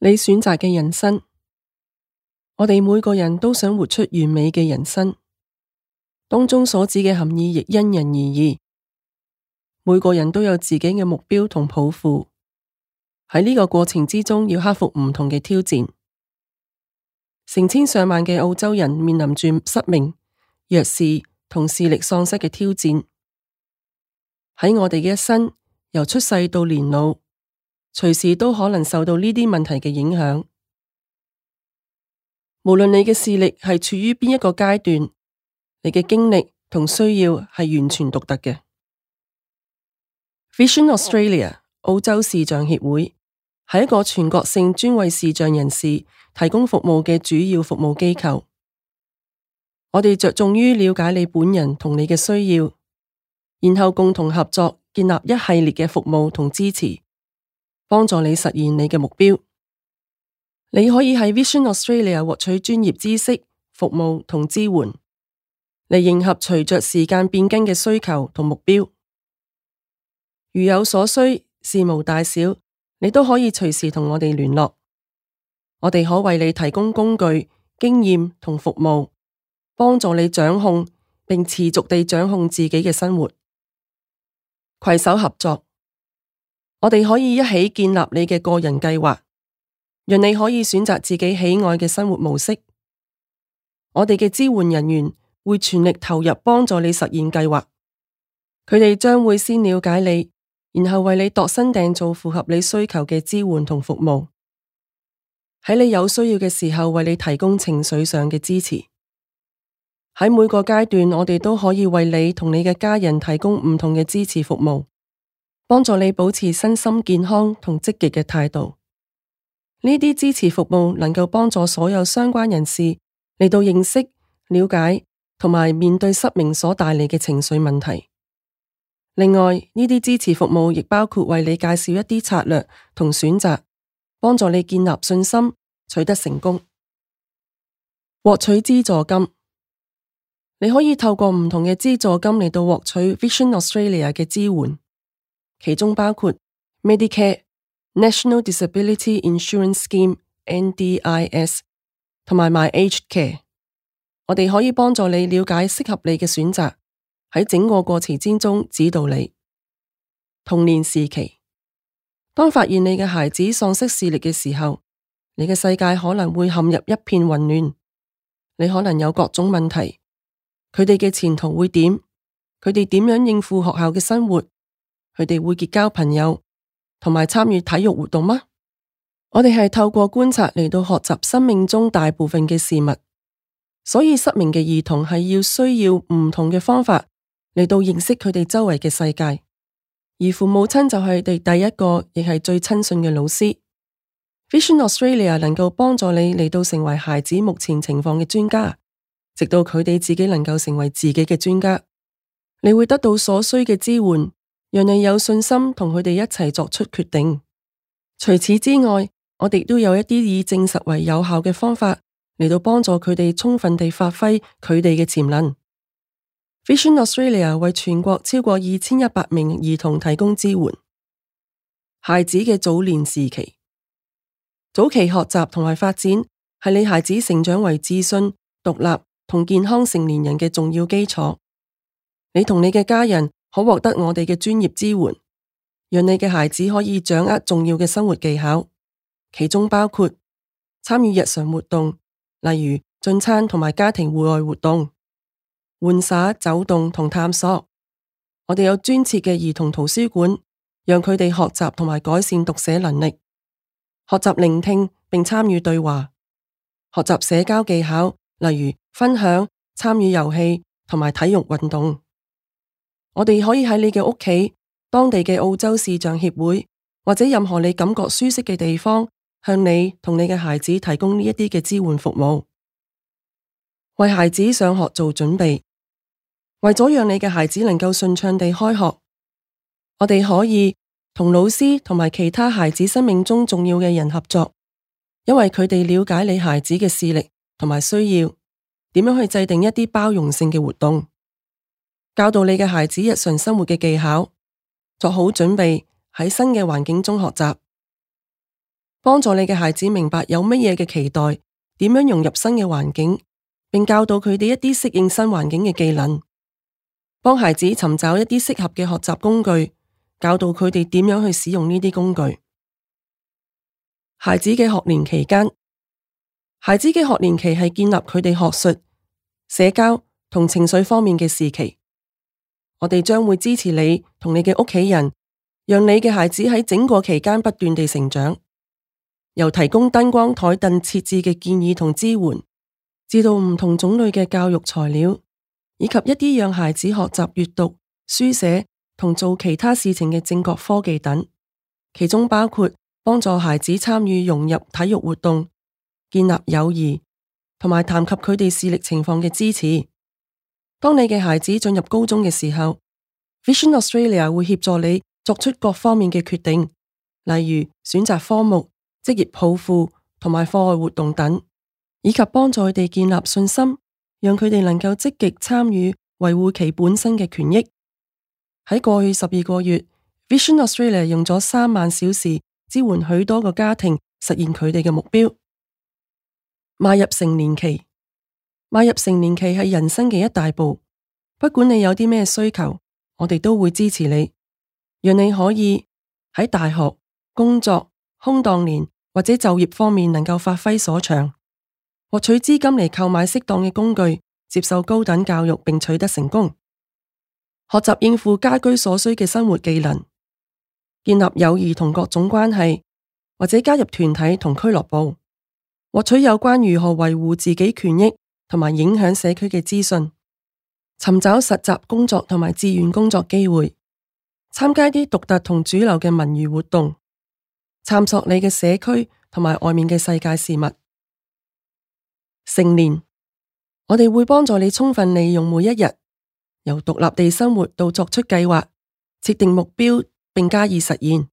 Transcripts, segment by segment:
你選擇嘅人生，我哋每個人都想活出完美嘅人生，當中所指嘅含義亦因人而異。每個人都有自己嘅目標同抱負，喺呢個過程之中要克服唔同嘅挑戰。成千上萬嘅澳洲人面臨住失明、弱視同視力喪失嘅挑戰。喺我哋嘅一生，由出世到年老，隨時都可能受到呢啲問題嘅影響。無論你嘅視力係處於邊一個階段，你嘅經歷同需要係完全獨特嘅。Vision Australia 澳洲視障協會係一個全國性專為視障人士提供服務嘅主要服務機構。我哋着重於了解你本人同你嘅需要，然後共同合作建立一系列嘅服務同支持，幫助你實現你嘅目標。你可以喺 Vision Australia 獲取專業知識、服務同支援，嚟迎合隨着時間變更嘅需求同目標。如有所需，事無大小，你都可以隨時同我哋聯絡。我哋可為你提供工具、經驗同服務，幫助你掌控並持續地掌控自己嘅生活。攜手合作，我哋可以一起建立你嘅個人計劃，讓你可以選擇自己喜愛嘅生活模式。我哋嘅支援人員會全力投入幫助你實現計劃，佢哋將會先了解你，然後為你度身訂造符合你需求嘅支援同服務，喺你有需要嘅時候為你提供情緒上嘅支持。喺每個階段，我哋都可以為你同你嘅家人提供唔同嘅支持服務，幫助你保持身心健康同積極嘅態度。呢啲支持服務能夠幫助所有相關人士嚟到認識、了解同埋面對失明所帶嚟嘅情緒問題。另外，呢啲支持服務亦包括為你介紹一啲策略同選擇，幫助你建立信心，取得成功。獲取資助金，你可以透過唔同嘅資助金嚟到獲取 Vision Australia 嘅支援，其中包括 Medicare、National Disability Insurance Scheme（NDIS） 同埋 My Aged Care。我哋可以幫助你了解適合你嘅選擇，喺整個過程之中指導你。童年時期，當發現你嘅孩子喪失視力嘅時候，你嘅世界可能會陷入一片混亂。你可能有各種問題，佢哋嘅前途會點？佢哋點樣應付學校嘅生活？佢哋會結交朋友同埋參與體育活動嗎？我哋係透過觀察嚟到學習生命中大部分嘅事物，所以失明嘅兒童係需要唔同嘅方法嚟到認識佢哋周圍嘅世界，而父母親就係佢哋第一個亦係最親信嘅老師。Vision Australia 能夠幫助你嚟到成為孩子目前情況嘅專家，直到佢哋自己能夠成為自己嘅專家。你會得到所需嘅支援，讓你有信心同佢哋一齊作出決定。除此之外，我哋都有一啲以證實為有效嘅方法嚟到幫助佢哋充分地發揮佢哋嘅潛能。Vision Australia 為全國超過2100名兒童提供支援。孩子嘅早年時期，早期學習同埋發展係你孩子成長為自信、獨立同健康成年人嘅重要基礎。你同你嘅家人可獲得我哋嘅專業支援，讓你嘅孩子可以掌握重要嘅生活技巧，其中包括參與日常活動，例如進餐同埋家庭戶外活動、玩耍、走動同探索。我哋有專設嘅兒童圖書館，讓佢哋學習同埋改善讀寫能力，學習聆聽並參與對話，學習社交技巧，例如分享、參與遊戲同埋體育運動。我哋可以喺你嘅屋企、當地嘅澳洲視障協會或者任何你感覺舒適嘅地方，向你同你嘅孩子提供呢一啲嘅支援服務，為孩子上學做準備。為咗讓你嘅孩子能夠順暢地開學，我哋可以同老師同埋其他孩子生命中重要嘅人合作，因為佢哋了解你孩子嘅視力同埋需要，點樣去制定一啲包容性嘅活動，教導你嘅孩子日常生活嘅技巧，做好準備喺新嘅環境中學習。幫助你嘅孩子明白有乜嘢嘅期待，點樣融入新嘅環境，並教導佢哋一啲適應新環境嘅技能，幫孩子尋找一啲適合嘅學習工具，教導佢哋點樣去使用呢啲工具。孩子嘅學年期間，孩子嘅學年期係建立佢哋學術、社交同情緒方面嘅時期。我哋將會支持你同你嘅屋企人，讓你嘅孩子喺整個期間不斷地成長。由提供燈光台凳設置嘅建議同支援，至到唔同種類嘅教育材料，以及一啲讓孩子學習閱讀、書寫同做其他事情嘅正確科技等，其中包括幫助孩子參與融入體育活動、建立友誼，同埋談及佢哋視力情況嘅支持。當你嘅孩子進入高中嘅時候， Vision Australia 會協助你作出各方面嘅決定，例如選擇科目、職業抱負同埋課外活動等，以及幫助佢哋建立信心，讓佢哋能夠積極參與維護其本身嘅權益。喺過去12個月， Vision Australia 用咗3萬小時支援許多個家庭實現佢哋嘅目標。邁入成年期，邁入成年期係人生嘅一大步，不管你有啲咩需求，我哋都會支持你，讓你可以喺大學、工作、空檔年或者就業方面能夠發揮所長，獲取資金嚟購買適當嘅工具，接受高等教育並取得成功，學習應付家居所需嘅生活技能，建立友誼同各種關係，或者加入團體同俱樂部，獲取有關如何維護自己權益同埋影響社區嘅資訊，尋找實習工作同埋志願工作機會，參加啲獨特同主流嘅文娛活動，探索你嘅社區同埋外面嘅世界事物。成年，我哋會幫助你充分利用每一日，由獨立地生活到作出計劃、設定目標並加以實現。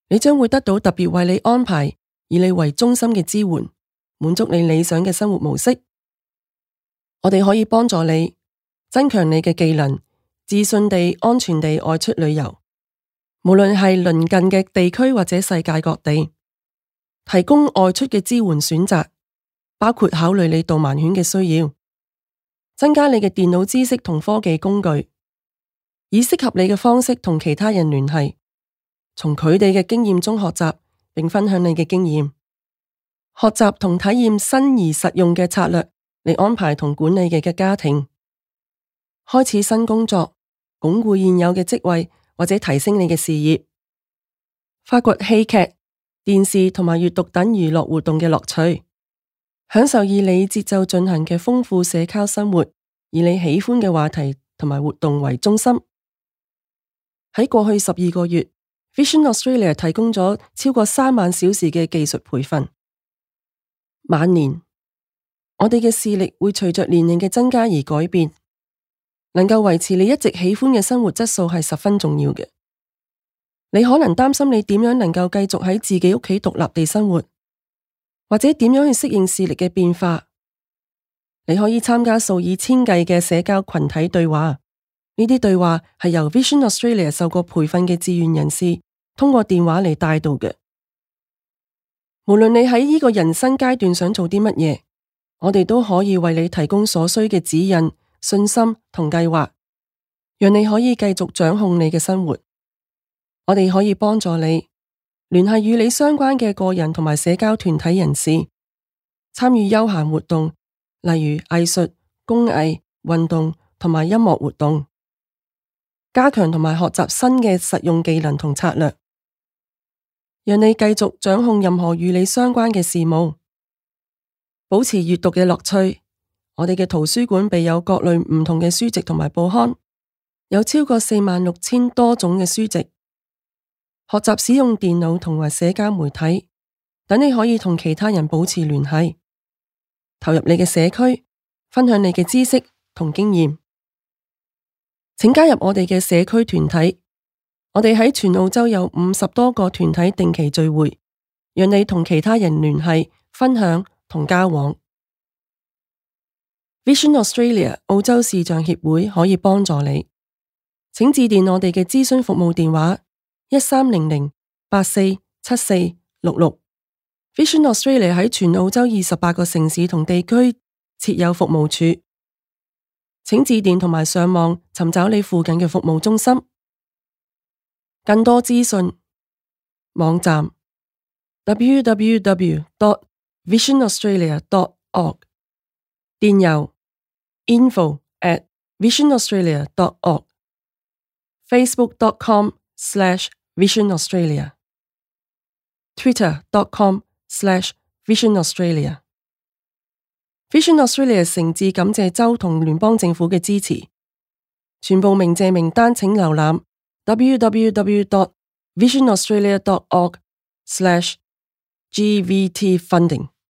你將會得到特別為你安排，以你為中心嘅支援，滿足你理想嘅生活模式。我哋可以幫助你增強你嘅技能，自信地、安全地外出旅遊，無論係鄰近嘅地區或者世界各地，提供外出嘅支援選擇，包括考慮你導盲犬嘅需要，增加你嘅電腦知識同科技工具，以適合你嘅方式同其他人聯繫，從佢哋嘅經驗中學習，並分享你嘅經驗，學習同體驗新而實用嘅策略嚟安排同管理你嘅家庭，開始新工作，鞏固現有嘅職位或者提升你嘅事業，發掘戲劇、電視同埋閱讀等娛樂活動嘅樂趣，享受以你節奏進行嘅豐富社交生活，以你喜歡嘅話題同埋活動為中心。喺過去12個月， Vision Australia 提供咗超過3萬小時嘅技術培訓。晚年，我哋嘅視力會隨着年齡嘅增加而改變，能夠維持你一直喜歡嘅生活質素係十分重要嘅。你可能擔心你點樣能夠繼續喺自己屋企獨立地生活，或者點樣去適應視力嘅變化。你可以參加數以千計嘅社交群體對話，呢啲對話係由 Vision Australia 受過培訓嘅志願人士通過電話嚟帶導嘅。無論你喺呢個人生階段想做啲乜嘢，我哋都可以為你提供所需嘅指引、信心同計劃，讓你可以繼續掌控你嘅生活。我哋可以幫助你聯繫與你相關嘅個人同埋社交團體人士，參與休閒活動，例如藝術、工藝、運動同埋音樂活動，加強同埋學習新嘅實用技能同策略，讓你繼續掌控任何與你相關嘅事務，保持閱讀嘅樂趣。我哋嘅圖書館備有各類唔同嘅書籍同埋報刊，有超過46000多種嘅書籍。學習使用電腦同埋社交媒體，等你可以同其他人保持聯繫，投入你嘅社區，分享你嘅知識同經驗。請加入我哋嘅社區團體，我哋喺全澳洲有50多個團體定期聚會，讓你同其他人聯繫、分享同交往。Vision Australia 澳洲視障協會可以幫助你，請致電我哋嘅諮詢服務電話1300847466。Vision Australia 喺全澳洲28個城市同地區設有服務處，請致電同埋上網尋找你附近嘅服務中心。更多資訊，網站 www.visionaustralia.org， 電郵 info@visionaustralia.org， facebook.com/visionaustralia， twitter.com/visionaustralia。 Vision Australia 誠摯感謝州同聯邦政府嘅支持。全部鳴謝名單請瀏覽www.visionaustralia.org/GVT funding。